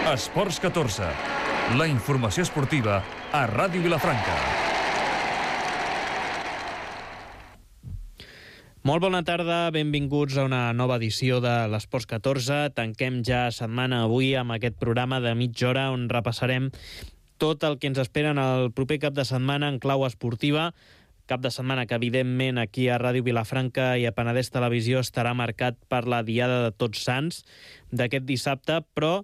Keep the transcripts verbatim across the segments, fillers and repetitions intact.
Esports catorze, la informació esportiva a Ràdio Vilafranca. Molt bona tarda, benvinguts a una nova edició de l'Esports catorze. Tanquem ja setmana avui amb aquest programa de mitja hora on repassarem tot el que ens espera en el proper cap de setmana en clau esportiva. Cap de setmana que, evidentment, aquí a Ràdio Vilafranca i a Penedès Televisió estarà marcat per la Diada de Tots Sants d'aquest dissabte, però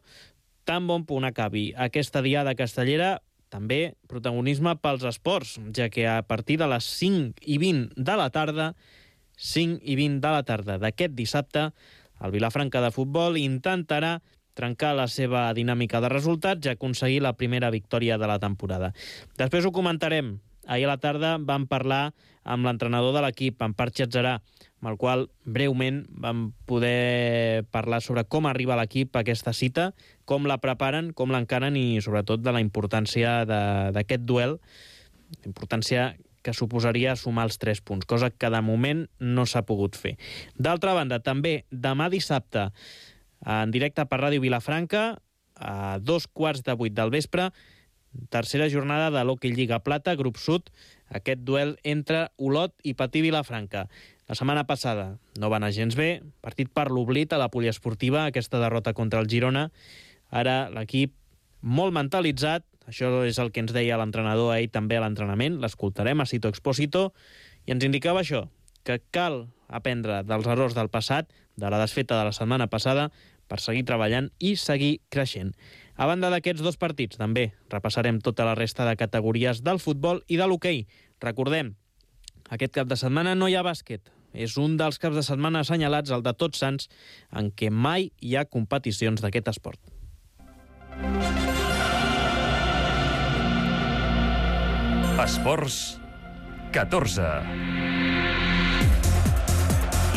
tan bon punt acabi aquesta Diada castellera, també protagonisme pels esports, ja que a partir de les cinc i vint de la tarda, cinc i vint de la tarda d'aquest dissabte, el Vilafranca de Futbol intentarà trencar la seva dinàmica de resultats i aconseguir la primera victòria de la temporada. Després ho comentarem. Ahir a la tarda vam parlar amb l'entrenador de l'equip, en Parc Xatzarà, amb el qual breument vam poder parlar sobre com arriba l'equip a aquesta cita, com la preparen, com l'encaren i sobretot de la importància d'aquest duel, importància que suposaria sumar els tres punts, cosa que de moment no s'ha pogut fer. D'altra banda, també demà dissabte, en directe per Ràdio Vilafranca, a dos quarts de vuit del vespre, tercera jornada de l'Hockey Lliga Plata, grup sud, aquest duel entre Olot i Patí Vilafranca. La setmana passada no va anar gens bé, partit per l'oblit a la poliesportiva, aquesta derrota contra el Girona. Ara l'equip molt mentalitzat, això és el que ens deia l'entrenador ahir també a l'entrenament, l'escoltarem a Sito Expósito, i ens indicava això, que cal aprendre dels errors del passat, de la desfeta de la setmana passada, per seguir treballant i seguir creixent. A banda d'aquests dos partits, també repassarem tota la resta de categories del futbol i de l'hoquei. Recordem, aquest cap de setmana no hi ha bàsquet. És un dels caps de setmana assenyalats, el de Tots Sants, en què mai hi ha competicions d'aquest esport. Esports catorze.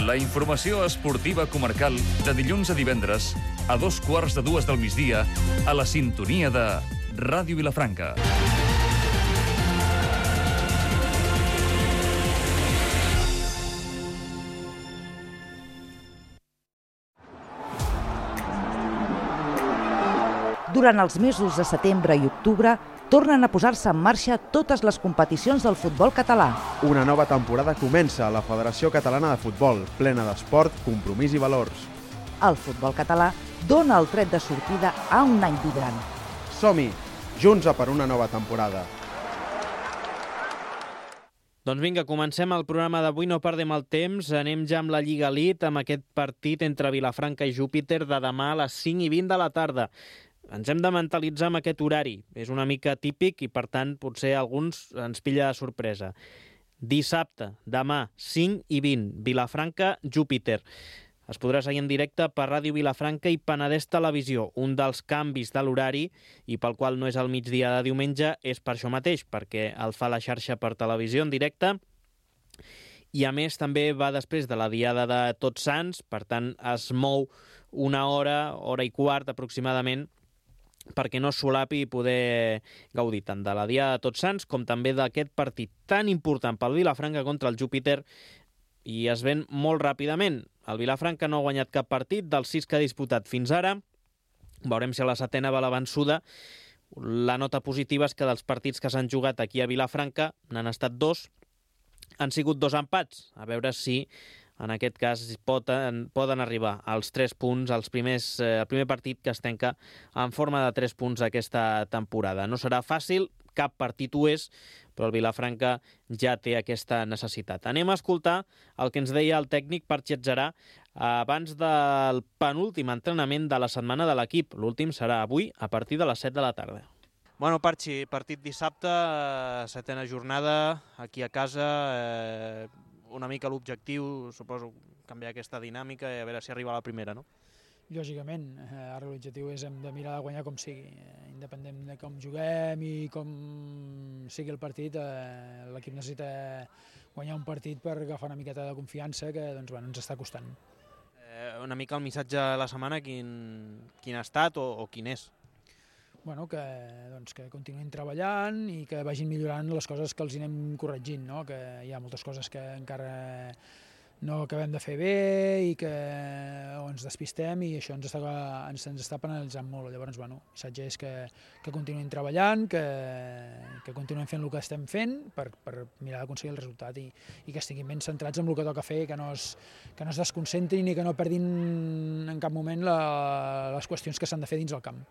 La informació esportiva comarcal de dilluns a divendres a dos quarts de dues del migdia a la sintonia de Ràdio Vilafranca. Durant els mesos de setembre i octubre tornen a posar-se en marxa totes les competicions del futbol català. Una nova temporada comença a la Federació Catalana de Futbol, plena d'esport, compromís i valors. El futbol català dona el tret de sortida a un any vibrant. Som-hi, junts a per una nova temporada. Doncs vinga, comencem el programa d'avui, no perdem el temps, anem ja amb la Lliga Elite, amb aquest partit entre Vilafranca i Júpiter de demà a les cinc i vint de la tarda. Ens hem de mentalitzar amb aquest horari. És una mica típic i, per tant, potser alguns ens pilla de sorpresa. Dissabte, demà, cinc i vint, Vilafranca, Júpiter. Es podrà seguir en directe per Ràdio Vilafranca i Penedès Televisió. Un dels canvis de l'horari i pel qual no és al migdia de diumenge és per això mateix, perquè el fa la xarxa per televisió en directe i, a més, també va després de la Diada de Tots Sants, per tant, es mou una hora, hora i quart aproximadament, perquè no solapi i poder gaudir tant de la Diada de Tots Sants com també d'aquest partit tan important pel Vilafranca contra el Júpiter, i es ven molt ràpidament. El Vilafranca no ha guanyat cap partit dels sis que ha disputat fins ara. Veurem si a la setena va la vençuda. La nota positiva és que dels partits que s'han jugat aquí a Vilafranca n'han estat dos. Han sigut dos empats. A veure si en aquest cas poden, poden arribar als tres punts, als primers, eh, el primer partit que es tanca en forma de tres punts aquesta temporada. No serà fàcil, cap partit ho és, però el Vilafranca ja té aquesta necessitat. Anem a escoltar el que ens deia el tècnic Parc Xatzarà abans del penúltim entrenament de la setmana de l'equip. L'últim serà avui a partir de les set de la tarda. Bueno, Parchi, partit dissabte, setena jornada, aquí a casa, eh, una mica l'objectiu, suposo, canviar aquesta dinàmica i a veure si arriba a la primera, no? Lògicament, ara l'objectiu és hem de mirar de guanyar com sigui, independent de com juguem i com sigui el partit, l'equip necessita guanyar un partit per agafar una miqueta de confiança que doncs, bueno, ens està costant. Eh, una mica el missatge de la setmana, quin, quin ha estat o, o quin és? Bueno, que, doncs, que continuïn treballant i que vagin millorant les coses que els anem corregint, no? Que hi ha moltes coses que encara no acabem de fer bé i que o ens despistem i això ens està, ens, ens està penalitzant molt. Llavors, bueno, el missatge és que, que continuem treballant, que, que continuem fent el que estem fent per, per mirar d'aconseguir el resultat i, i que estiguin ben centrats en el que toca fer, que no es, que no es desconcentrin i que no perdin en cap moment la, les qüestions que s'han de fer dins el camp.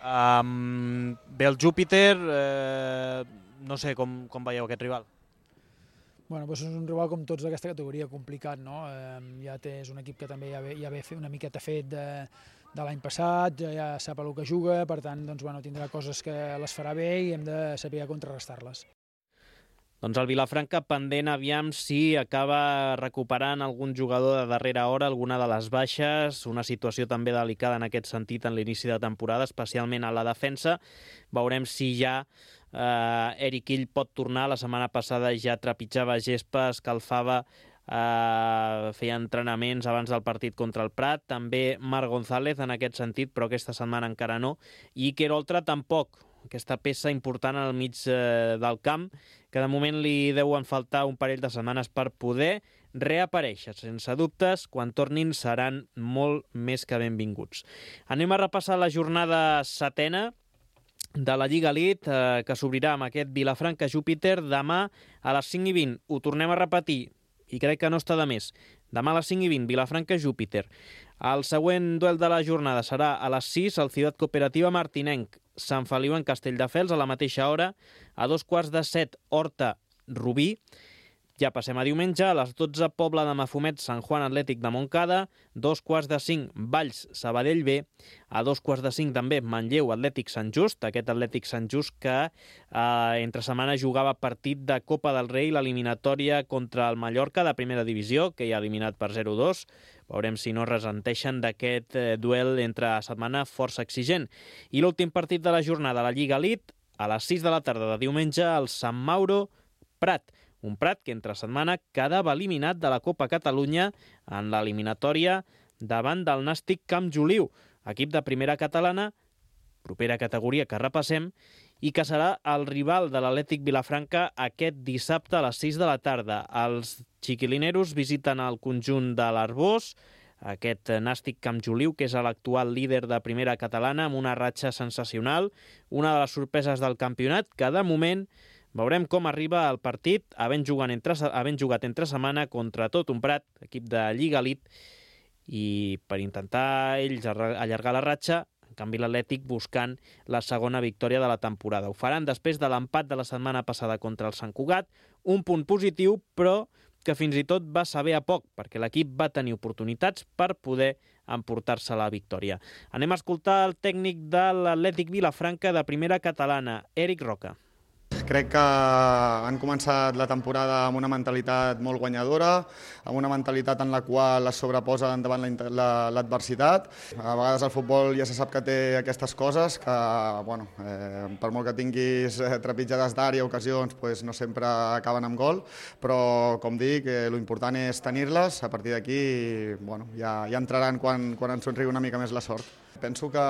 Um, bé, el Júpiter, eh, no sé com, com veieu aquest rival. Bueno, doncs és un rival com tots d'aquesta categoria, complicat, no? Eh, ja té, és un equip que també ja ve, ja ve una miqueta fet de, de l'any passat, ja, ja sap el que juga, per tant, doncs, bueno, tindrà coses que les farà bé i hem de saber contrarrestar-les. Doncs el Vilafranca pendent aviam si acaba recuperant algun jugador de darrera hora, alguna de les baixes, una situació també delicada en aquest sentit en l'inici de temporada, especialment a la defensa. Veurem si ja Uh, Eric Hill pot tornar. La setmana passada ja trepitjava gespa, escalfava, uh, feia entrenaments abans del partit contra el Prat. També Marc González en aquest sentit, però aquesta setmana encara no. I Iker Oltra tampoc, aquesta peça important al mig uh, del camp, que de moment li deuen faltar un parell de setmanes per poder reaparèixer. Sense dubtes, quan tornin seran molt més que benvinguts. Anem a repassar la jornada setena de la Lliga Elite, eh, que s'obrirà amb aquest Vilafranca-Júpiter demà a les cinc i vint. Ho tornem a repetir, i crec que no està de més. Demà a les cinc i vint, Vilafranca-Júpiter. El següent duel de la jornada serà a les sis, al Ciutat Cooperativa Martinenc. Sant Feliu en Castelldefels, a la mateixa hora. A dos quarts de set, Horta-Rubí. Ja passem a diumenge, a les dotze, Pobla de Mafumet, Sant Juan Atlètic de Montcada, dos quarts de cinc, Valls, Sabadell B, a dos quarts de cinc també, Manlleu, Atlètic Sant Just, aquest Atlètic Sant Just que eh, entre setmana jugava partit de Copa del Rei, l'eliminatòria contra el Mallorca de primera divisió, que ja ha eliminat per zero dos. Veurem si no resenteixen d'aquest eh, duel entre setmana força exigent. I l'últim partit de la jornada, la Lliga Elite, a les sis de la tarda de diumenge, el Sant Mauro Prat. Un Prat que entre setmana quedava eliminat de la Copa Catalunya en l'eliminatòria davant del Nàstic Camp Joliu, equip de primera catalana, propera categoria que repassem, i que serà el rival de l'Atlètic Vilafranca aquest dissabte a les sis de la tarda. Els xiquilineros visiten el conjunt de l'Arbós, aquest Nàstic Camp Joliu, que és l'actual líder de primera catalana, amb una ratxa sensacional, una de les sorpreses del campionat, que de moment veurem com arriba el partit, havent jugat entre, havent jugat entre setmana contra tot un Prat, equip de Lliga Elite, i per intentar ells allargar la ratxa, en canvi l'Atlètic buscant la segona victòria de la temporada. Ho faran després de l'empat de la setmana passada contra el Sant Cugat, un punt positiu, però que fins i tot va saber a poc, perquè l'equip va tenir oportunitats per poder emportar-se la victòria. Anem a escoltar el tècnic de l'Atlètic Vilafranca de primera catalana, Eric Roca. Crec que han començat la temporada amb una mentalitat molt guanyadora, amb una mentalitat en la qual es sobreposa davant l'adversitat. A vegades el futbol ja se sap que té aquestes coses, que bueno, eh, per molt que tinguis trepitjades d'àrea, ocasions, pues no sempre acaben amb gol, però com dic, eh, l'important és tenir-les, a partir d'aquí bueno, ja, ja entraran quan, quan ens somriu una mica més la sort. Penso que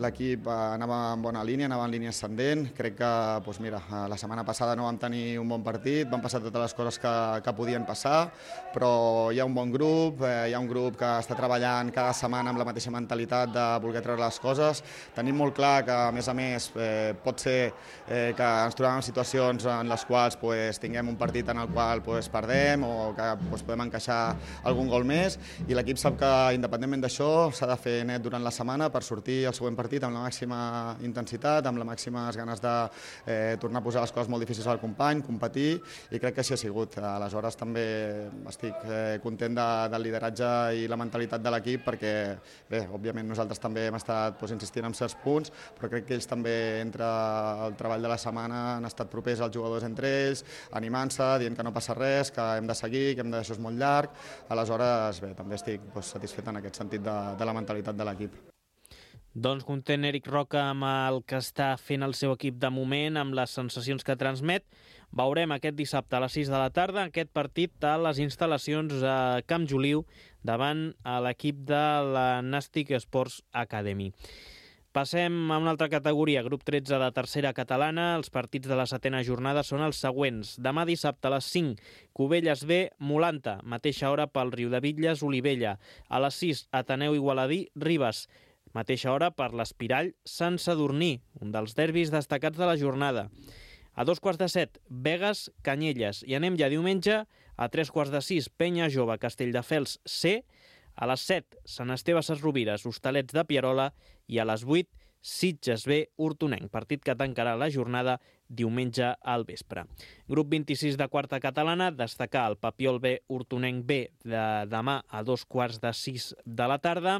l'equip anava en bona línia, anava en línia ascendent. Crec que doncs mira, la setmana passada no vam tenir un bon partit, van passar totes les coses que, que podien passar, però hi ha un bon grup, eh, hi ha un grup que està treballant cada setmana amb la mateixa mentalitat de voler treure les coses. Tenim molt clar que, a més a més, eh, pot ser eh, que ens trobem en situacions en les quals pues, tinguem un partit en el qual pues, perdem o que pues, podem encaixar algun gol més, i l'equip sap que, independentment d'això, s'ha de fer net durant la setmana per sortir al següent partit amb la màxima intensitat, amb les màximes ganes de eh, tornar a posar les coses molt difícils al company, competir, i crec que així ha sigut. Aleshores també estic eh, content de, del lideratge i la mentalitat de l'equip, perquè bé, òbviament nosaltres també hem estat pues, insistint en certs punts, però crec que ells també entre el treball de la setmana han estat propers als jugadors entre ells, animant-se, dient que no passa res, que hem de seguir, que hem de deixar molt llarg. Aleshores bé, també estic pues, satisfet en aquest sentit de, de la mentalitat de l'equip. Doncs content Eric Roca amb el que està fent el seu equip de moment, amb les sensacions que transmet. Veurem aquest dissabte a les sis de la tarda aquest partit a les instal·lacions a Camp Joliu davant a l'equip de la Nàstic Sports Academy. Passem a una altra categoria, grup tretze de tercera catalana. Els partits de la setena jornada són els següents. Demà dissabte a les cinc, Cubelles B, Molanta, mateixa hora pel Riudebitlles, Olivella. A les sis, Ateneu Igualadí, Ribes. Mateixa hora per l'Espirall, Sant Sadurní, un dels derbis destacats de la jornada. A dos quarts de set, Begues, Canyelles. I anem ja diumenge, a tres quarts de sis, Penya Jove, Castelldefels C. A les set, Sant Esteve Sesrovires, Hostalets de Pierola. I a les vuit, Sitges B, Hortonenc, partit que tancarà la jornada diumenge al vespre. Grup vint-i-sis de quarta catalana, destacar el Papiol B, Hortonenc B de demà a dos quarts de sis de la tarda.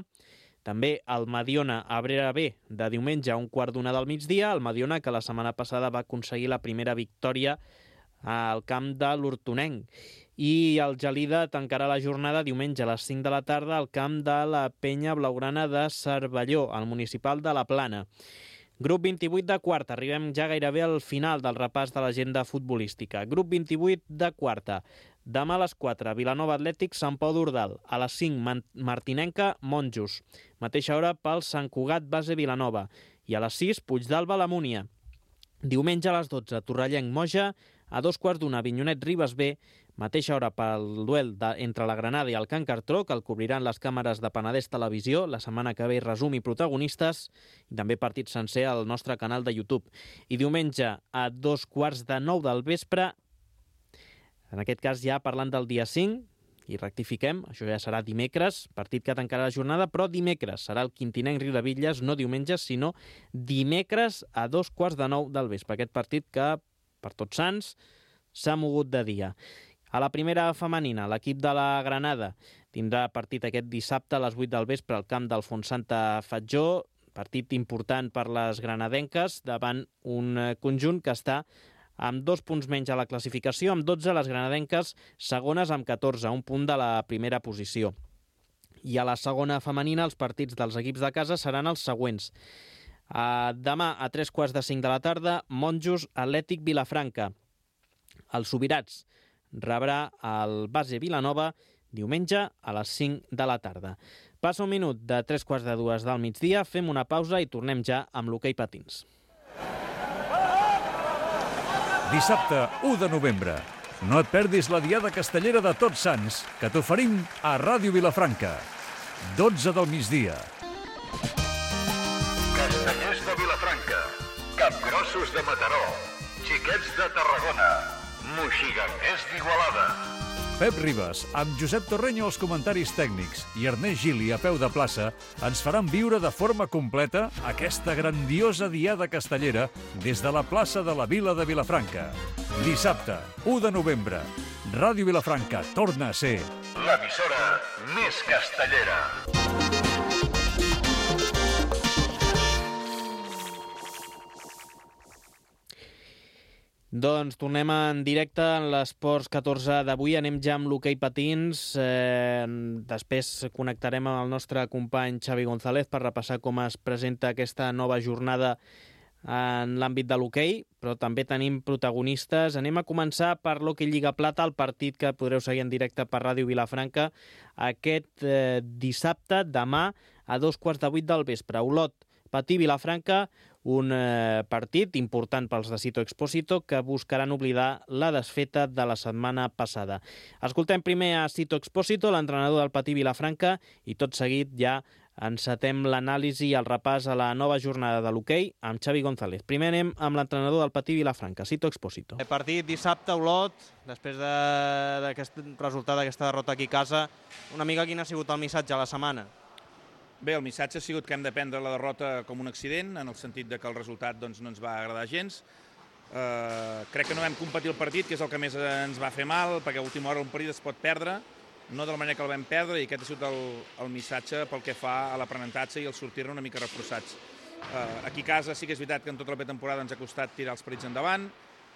També el Mediona Abrera B de diumenge a un quart d'una del migdia. El Mediona que la setmana passada va aconseguir la primera victòria al camp de l'Hortonenc. I el Gelida tancarà la jornada diumenge a les cinc de la tarda al camp de la Penya Blaugrana de Cervelló, al municipal de la Plana. Grup vint-i-vuit de quarta, arribem ja gairebé al final del repàs de l'agenda futbolística. Grup vint-i-vuit de quarta, demà a les quatre, Vilanova Atlètic, Sant Pau d'Ordal. A les cinc, Martinenca, Monjos. Mateixa hora pel Sant Cugat, Base Vilanova. I a les sis, Puigdàlber, la Múnia. Diumenge a les dotze, Torrellenc, Moja. A dos quarts d'una, Avinyonet, Ribes B. Mateixa hora pel duel de, entre la Granada i el Can Cartró, que el cobriran les càmeres de Penedès Televisió. La setmana que ve resum i protagonistes, i també partit sencer al nostre canal de YouTube. I diumenge a dos quarts de nou del vespre, en aquest cas ja parlant del dia cinc, i rectifiquem, això ja serà dimecres, partit que tancarà la jornada, però dimecres serà el Quintinenc Riudebitlles, no diumenge, sinó dimecres a dos quarts de nou del vespre. Aquest partit que, per Tots Sants, s'ha mogut de dia. A la primera femenina, l'equip de la Granada tindrà partit aquest dissabte a les vuit del vespre al camp del Fontsanta Fatjó, partit important per les granadenques davant un conjunt que està amb dos punts menys a la classificació, amb dotze les granadenques segones amb catorze, un punt de la primera posició. I a la segona femenina els partits dels equips de casa seran els següents. Uh, demà a tres quarts de cinc de la tarda, Monjos Atlètic Vilafranca. Els Subirats rebrà el Base Vilanova diumenge a les cinc de la tarda. Passa un minut de tres quarts de dues del migdia, fem una pausa i tornem ja amb l'hoquei patins. Dissabte, u de novembre. No et perdis la Diada Castellera de Tots Sants, que t'oferim a Ràdio Vilafranca. dotze del migdia. Castellers de Vilafranca, Capgrossos de Mataró, Xiquets de Tarragona, Moixigangers d'Igualada. Pep Ribas, amb Josep Torreño als comentaris tècnics i Ernest Gili a peu de plaça, ens faran viure de forma completa aquesta grandiosa Diada Castellera des de la plaça de la Vila de Vilafranca. Dissabte, u de novembre, Ràdio Vilafranca torna a ser l'emissora més castellera. Doncs tornem en directe en l'Esports catorze d'avui. Anem ja amb l'hoquei patins. Eh, després connectarem amb el nostre company Xavi González per repassar com es presenta aquesta nova jornada en l'àmbit de l'hoquei, però també tenim protagonistes. Anem a començar per l'Hoquei Lliga Plata, el partit que podreu seguir en directe per Ràdio Vilafranca aquest eh, dissabte, demà, a dos quarts de vuit del vespre. Olot, Patí, Vilafranca, un eh, partit important pels de Sito Expósito que buscaran oblidar la desfeta de la setmana passada. Escoltem primer a Sito Expósito, l'entrenador del Patí Vilafranca, i tot seguit ja encetem l'anàlisi i el repàs a la nova jornada de l'hoquei amb Xavi González. Primer anem amb l'entrenador del Patí Vilafranca, Sito Expósito. El partit dissabte a Olot, després d'aquest resultat d'aquesta derrota aquí a casa, una mica quin ha sigut el missatge a la setmana? Bé, el missatge ha sigut que hem de prendre la derrota com un accident, en el sentit de que el resultat doncs, no ens va agradar gens. Eh, crec que no vam competir el partit, que és el que més ens va fer mal, perquè a última hora un partit es pot perdre, no de la manera que el vam perdre, i aquest ha sigut el, el missatge pel que fa a l'aprenentatge i el sortir-ne una mica reforçats. Eh, aquí a casa sí que és veritat que en tota la pretemporada ens ha costat tirar els partits endavant,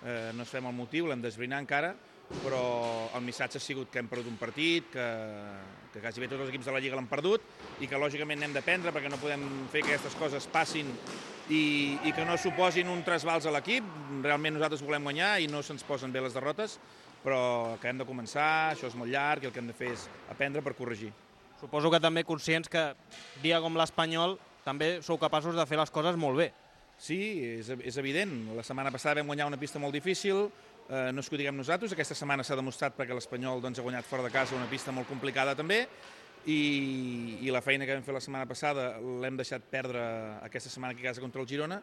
eh, no sabem el motiu, l'hem d'esbrinar encara, però el missatge ha sigut que hem perdut un partit, que, que quasi bé tots els equips de la Lliga l'han perdut i que lògicament n'hem d'aprendre perquè no podem fer que aquestes coses passin i, i que no suposin un trasbals a l'equip. Realment nosaltres volem guanyar i no se'ns posen bé les derrotes, però que hem de començar, això és molt llarg i el que hem de fer és aprendre per corregir. Suposo que també conscients que dia com l'Espanyol també sou capaços de fer les coses molt bé. Sí, és, és evident. La setmana passada vam guanyar una pista molt difícil, eh, no és que ho diguem nosaltres, aquesta setmana s'ha demostrat perquè l'Espanyol doncs, ha guanyat fora de casa una pista molt complicada també, i, i la feina que vam fer la setmana passada l'hem deixat perdre aquesta setmana aquí a casa contra el Girona.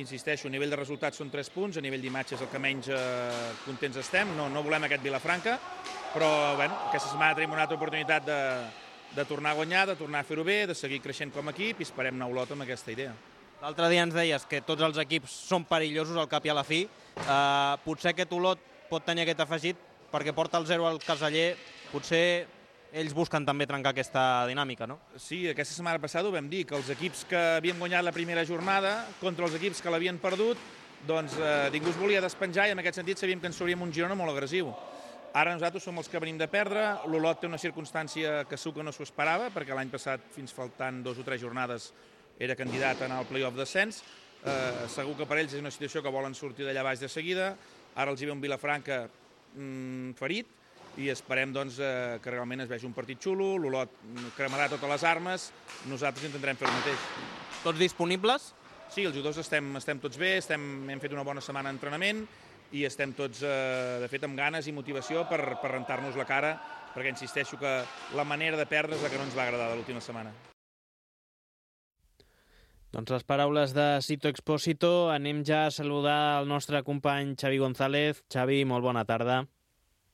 Insisteixo, a nivell de resultats són tres punts, a nivell d'imatge és el que menys eh, contents estem, no, no volem aquest Vilafranca, però bueno, aquesta setmana tenim una altra oportunitat de, de tornar a guanyar, de tornar a fer-ho bé, de seguir creixent com a equip i esperem anar a Olot amb aquesta idea. L'altre dia ens deies que tots els equips són perillosos al cap i a la fi. Uh, potser aquest Olot pot tenir aquest afegit perquè porta el zero al caseller. Potser ells busquen també trencar aquesta dinàmica, no? Sí, aquesta setmana passada ho vam dir, que els equips que havien guanyat la primera jornada contra els equips que l'havien perdut, doncs eh, ningú es volia despenjar i en aquest sentit sabíem que ens trauríem un Girona molt agressiu. Ara nosaltres som els que venim de perdre, l'Olot té una circumstància que segur que no s'ho esperava, perquè l'any passat, fins faltant dos o tres jornades, era candidat a anar al play-off d'ascens. Eh, segur que per ells és una situació que volen sortir d'allà baix de seguida. Ara els hi ve un Vilafranca mm, ferit i esperem doncs, eh, que realment es vegi un partit xulo, l'Olot cremarà totes les armes, nosaltres intentarem fer el mateix. Tots disponibles? Sí, els jugadors estem, estem tots bé, estem, hem fet una bona setmana d'entrenament i estem tots, eh, de fet, amb ganes i motivació per, per rentar-nos la cara, perquè insisteixo que la manera de perdre és la que no ens va agradar de l'última setmana. Doncs les paraules de Sito Expósito. Anem ja a saludar el nostre company Xavi González. Xavi, molt bona tarda.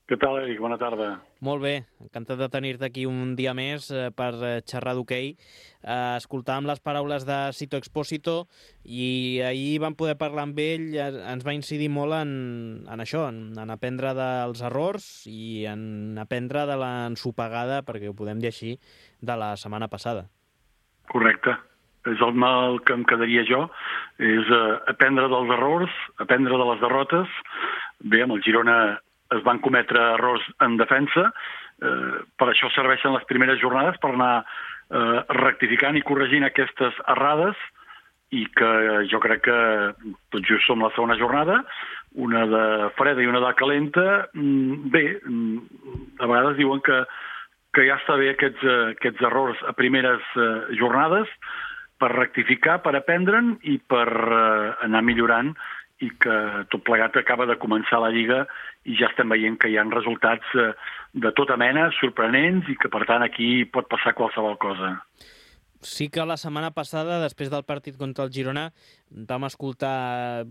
Què tal, Eric? Bona tarda. Molt bé, encantat de tenir-te aquí un dia més eh, per xerrar d'hoquei. Eh, escoltàvem les paraules de Sito Expósito i ahir vam poder parlar amb ell, eh, ens va incidir molt en, en això, en, en aprendre dels errors i en aprendre de l'ensopegada, perquè ho podem dir així, de la setmana passada. Correcte. És el mal que em quedaria jo, és eh, aprendre dels errors, aprendre de les derrotes. Bé, amb el Girona es van cometre errors en defensa, eh, per això serveixen les primeres jornades, per anar eh, rectificant i corregint aquestes errades, i que jo crec que tot just som la segona jornada, una de freda i una de calenta. Bé, a vegades diuen que, que ja està bé aquests, aquests errors a primeres eh, jornades, per rectificar, per aprendre'n i per eh, anar millorant, i que tot plegat acaba de començar la Lliga i ja estem veient que hi ha resultats eh, de tota mena, sorprenents, i que per tant aquí pot passar qualsevol cosa. Sí que la setmana passada, després del partit contra el Girona, vam escoltar,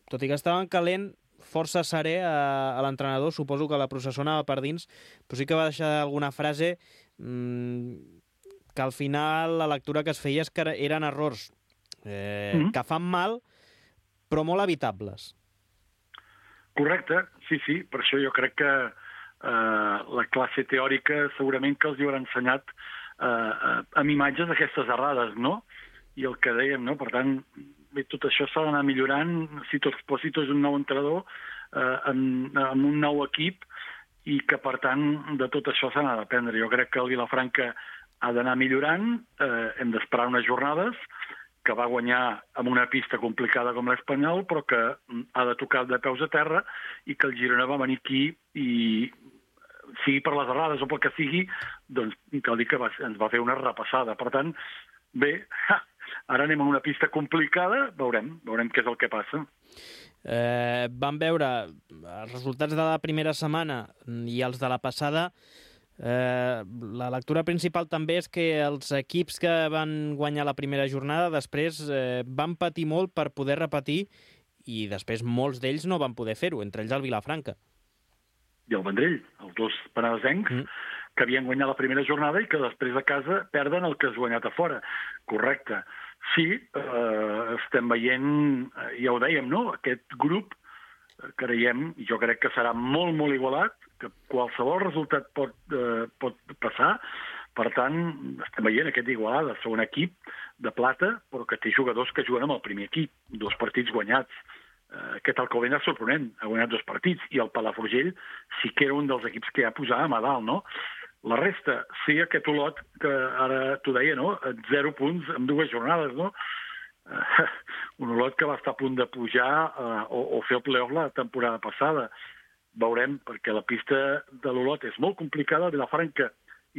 tot i que estaven calent, força serè a, a l'entrenador, suposo que la processó anava per dins, però sí que va deixar alguna frase mmm, que al final la lectura que es feia és que eren errors eh, mm-hmm. que fan mal, però molt evitables. Correcte, sí, sí. Per això jo crec que eh, la classe teòrica segurament que els hi haurà ensenyat eh, amb imatges d'aquestes errades, no? I el que dèiem, no? Per tant, bé, tot això s'ha d'anar millorant. Sito Expósito és un nou entrenador eh, amb, amb un nou equip i que, per tant, de tot això s'ha d'aprendre. Jo crec que el Vilafranca ha d'anar millorant, eh, hem d'esperar unes jornades, que va guanyar amb una pista complicada com l'Espanyol, però que ha de tocar de peus a terra, i que el Girona va venir aquí i, sigui per les errades o pel que sigui, doncs cal dir que va, ens va fer una repassada. Per tant, bé, ara anem a una pista complicada, veurem, veurem què és el que passa. Eh, vam veure els resultats de la primera setmana i els de la passada. Eh, la lectura principal també és que els equips que van guanyar la primera jornada després eh, van patir molt per poder repetir, i després molts d'ells no van poder fer-ho, entre ells el Vilafranca. I el Vendrell, els dos penedesencs, mm. que havien guanyat la primera jornada i que després a casa perden el que has guanyat a fora. Correcte. Sí, eh, estem veient, ja ho dèiem, no? Aquest grup, creiem, i jo crec que serà molt, molt igualat, que qualsevol resultat pot, eh, pot passar. Per tant, estem veient aquest Igualada, segon equip de plata, però que té jugadors que juguen amb el primer equip, dos partits guanyats. Eh, aquest Alcobendas és sorprenent, ha guanyat dos partits, i el Palafrugell sí que era un dels equips que ja posàvem a dalt, no? La resta, sí, aquest Olot, que ara t'ho deia, no? Zero punts en dues jornades, no? Uh, un Olot que va estar a punt de pujar uh, o, o fer el play-off la temporada passada. Veurem, perquè la pista de l'Olot és molt complicada. Vilafranca,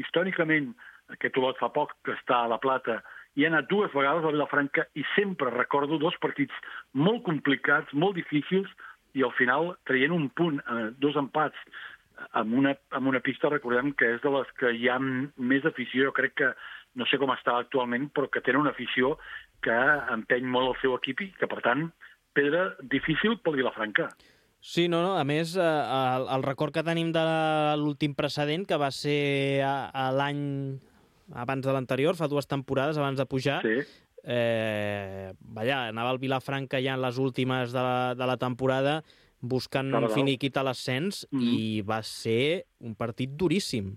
històricament, aquest Olot fa poc que està a la plata i he anat dues vegades a Vilafranca i sempre recordo dos partits molt complicats, molt difícils, i al final traient un punt, eh, dos empats, amb una, amb una pista, recordem que és de les que hi ha més afició, jo crec que, no sé com està actualment, però que tenen una afició que empeny molt el seu equip i que, per tant, pedra difícil pel Vilafranca. Sí, no, no. A més, eh, el, el record que tenim de l'últim precedent, que va ser a, a l'any abans de l'anterior, fa dues temporades abans de pujar, sí. eh, vaja, anava el Vilafranca ja en les últimes de la, de la temporada buscant un finiquit a l'ascens mm-hmm. i va ser un partit duríssim.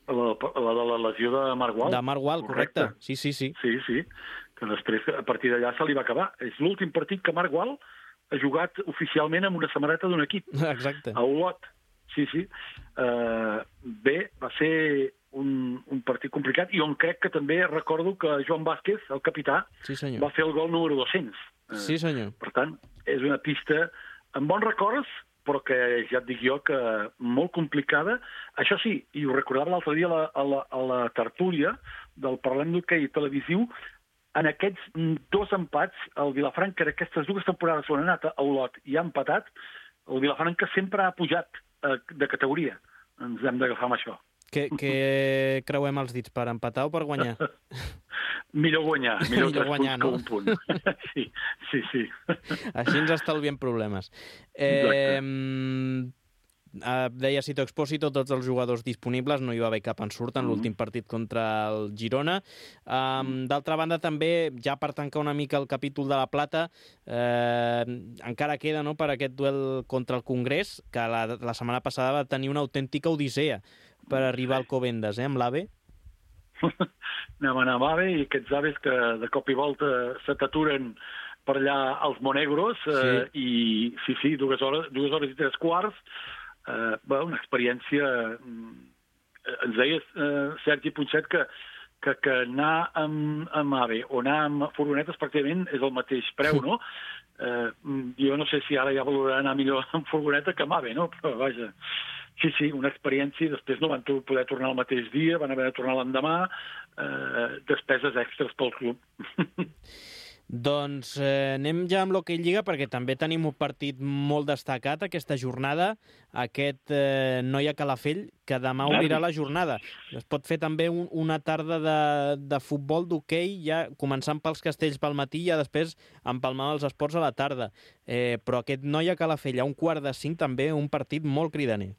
La, la de la lesió de Marc Gual. De Marc Gual, correcte. correcte. Sí, sí, sí. Sí, sí, que després a partir d'allà se li va acabar. És l'últim partit que Marc Gual ha jugat oficialment amb una samarreta d'un equip. Exacte. A Olot. Sí, sí. Uh, bé, va ser un, un partit complicat i on crec que també recordo que Joan Vázquez, el capità, sí, va fer el gol número dos-cents. Uh, sí, senyor. Per tant, és una pista amb bons records, però que ja et dic jo que molt complicada. Això sí, i ho recordava l'altre dia a la, a la, a la tertúlia del Parlem d'Hoquei televisiu, en aquests dos empats, el Vilafranca, en aquestes dues temporades on ha anat a Olot i ha empatat, el Vilafranca sempre ha pujat eh, de categoria. Ens hem d'agafar amb això. Què, què creuem els dits, per empatar o per guanyar? Millor guanyar, millor, millor guanyar, no? Un punt. Sí, sí, sí. Així ens estalviem problemes. Eh, Uh, deia Sito Expósito, tots els jugadors disponibles, no hi va haver cap ensurt en mm. l'últim partit contra el Girona. Um, d'altra banda, també, ja per tancar una mica el capítol de la Plata, eh, encara queda, no?, per aquest duel contra el Congrés, que la, la setmana passada va tenir una autèntica odissea per arribar al Covendes, eh, amb l'AVE. Anem a anar amb AVE i aquests aves que de cop i volta se t'aturen per allà als Monegros, eh, sí. i sí, sí, dues hores, dues hores i tres quarts. Uh, bé, una experiència... Uh, ens deia uh, Sergi Punxet que, que, que anar amb, amb AVE o anar amb furgonetes pràcticament és el mateix preu, no? Uh, jo no sé si ara ja valorarà anar millor amb furgoneta que amb AVE, no? Però vaja, sí, sí, una experiència i després no van poder tornar el mateix dia, van haver de tornar l'endemà, uh, despeses extres pel club. Doncs eh, anem ja amb l'Hoquei Lliga, perquè també tenim un partit molt destacat aquesta jornada, aquest eh, Noia Calafell, que demà obrirà la jornada. Es pot fer també un, una tarda de, de futbol d'hoquei, ja començant pels castells pel matí i ja després empalmar els esports a la tarda. Eh, però aquest Noia Calafell a un quart de cinc també un partit molt cridaner.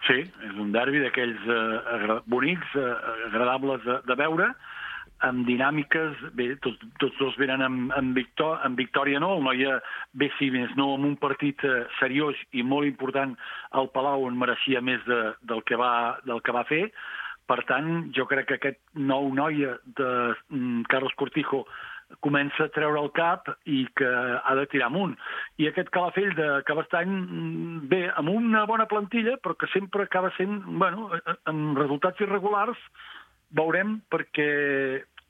Sí, és un derbi d'aquells eh, bonics, eh, agradables de, de veure, amb dinàmiques, bé, tots, tots dos venen amb, amb, victò amb victòria, no? El Noia bé, si més no, amb un partit eh, seriós i molt important al Palau, on mereixia més de, del, que va, del que va fer. Per tant, jo crec que aquest nou Noia de mm, Carlos Cortijo comença a treure el cap i que ha de tirar amunt. I aquest Calafell de Cabestany, bé, amb una bona plantilla, però que sempre acaba sent, bueno, amb resultats irregulars. Veurem, perquè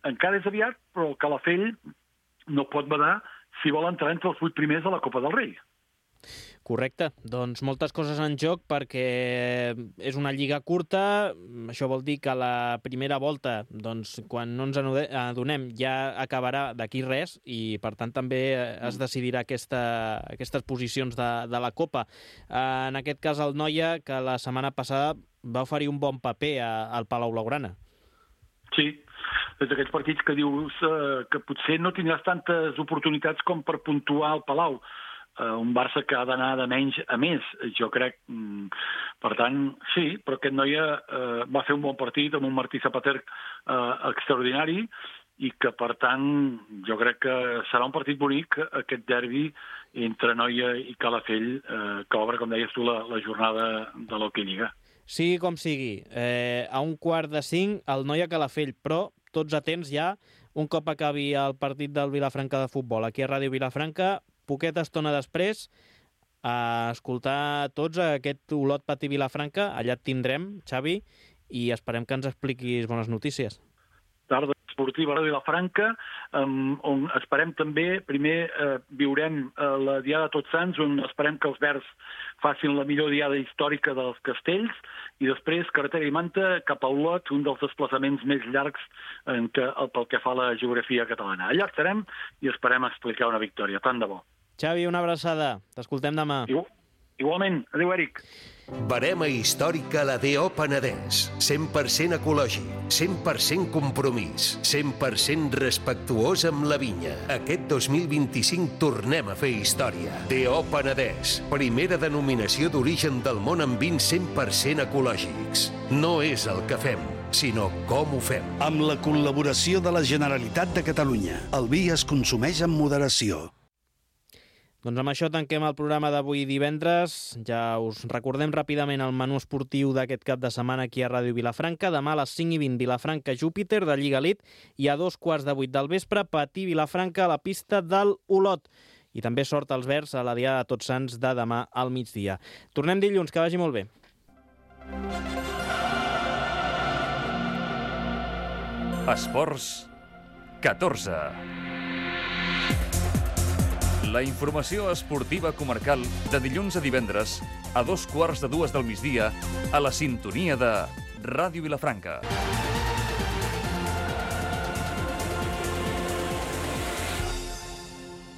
encara és aviat, però el Calafell no pot badar si vol entrar entre els vuit primers de la Copa del Rei. Correcte. Doncs moltes coses en joc, perquè és una lliga curta. Això vol dir que la primera volta, doncs, quan no ens adonem, ja acabarà d'aquí res i, per tant, també es decidirà aquesta, aquestes posicions de, de la Copa. En aquest cas, el Noia, que la setmana passada va oferir un bon paper a, al Palau Blaugrana. Sí, és d'aquests partits que dius eh, que potser no tindràs tantes oportunitats com per puntuar al Palau. Eh, un Barça que ha d'anar de menys a més, jo crec. Mm, per tant, sí, però aquest Noia eh, va fer un bon partit amb un Martí Zapater eh, extraordinari i que, per tant, jo crec que serà un partit bonic, aquest derbi entre Noia i Calafell, eh, que obre, com deies tu, la, la jornada de l'Hoquei Lliga. Sigui com sigui, eh, a un quart de cinc el Noia Calafell, però tots atents ja, un cop acabi el partit del Vilafranca de futbol. Aquí a Ràdio Vilafranca, poqueta estona després, a escoltar tots aquest Olot Patí Vilafranca. Allà et tindrem, Xavi, i esperem que ens expliquis bones notícies. Tardes. esportiva a Vilafranca, on esperem també, primer viurem la Diada de Tots Sants, on esperem que els verds facin la millor diada històrica dels castells, i després carretera i manta cap a Olot, un dels desplaçaments més llargs pel que fa a la geografia catalana. Allà estarem i esperem explicar una victòria. Tant de bo. Xavi, una abraçada. T'escoltem demà. Igualment. Adéu, Eric. Barema històrica a la D O Penedès. cent per cent ecològic, cent per cent compromís, cent per cent respectuós amb la vinya. Aquest dos mil vint-i-cinc tornem a fer història. D O Penedès, primera denominació d'origen del món amb vins cent per cent ecològics. No és el que fem, sinó com ho fem. Amb la col·laboració de la Generalitat de Catalunya, el vi es consumeix amb moderació. Doncs amb això tanquem el programa d'avui divendres. Ja us recordem ràpidament el menú esportiu d'aquest cap de setmana aquí a Ràdio Vilafranca. Demà a les cinc i vint Vilafranca-Júpiter de Lliga Elite i a dos quarts de vuit del vespre Patí Vilafranca a la pista del Olot. I també sort als verds a la Diada de Tots Sants de demà al migdia. Tornem dilluns, que vagi molt bé. Esports catorze. La informació esportiva comarcal de dilluns a divendres a dos quarts de dues del migdia a la sintonia de Ràdio Vilafranca.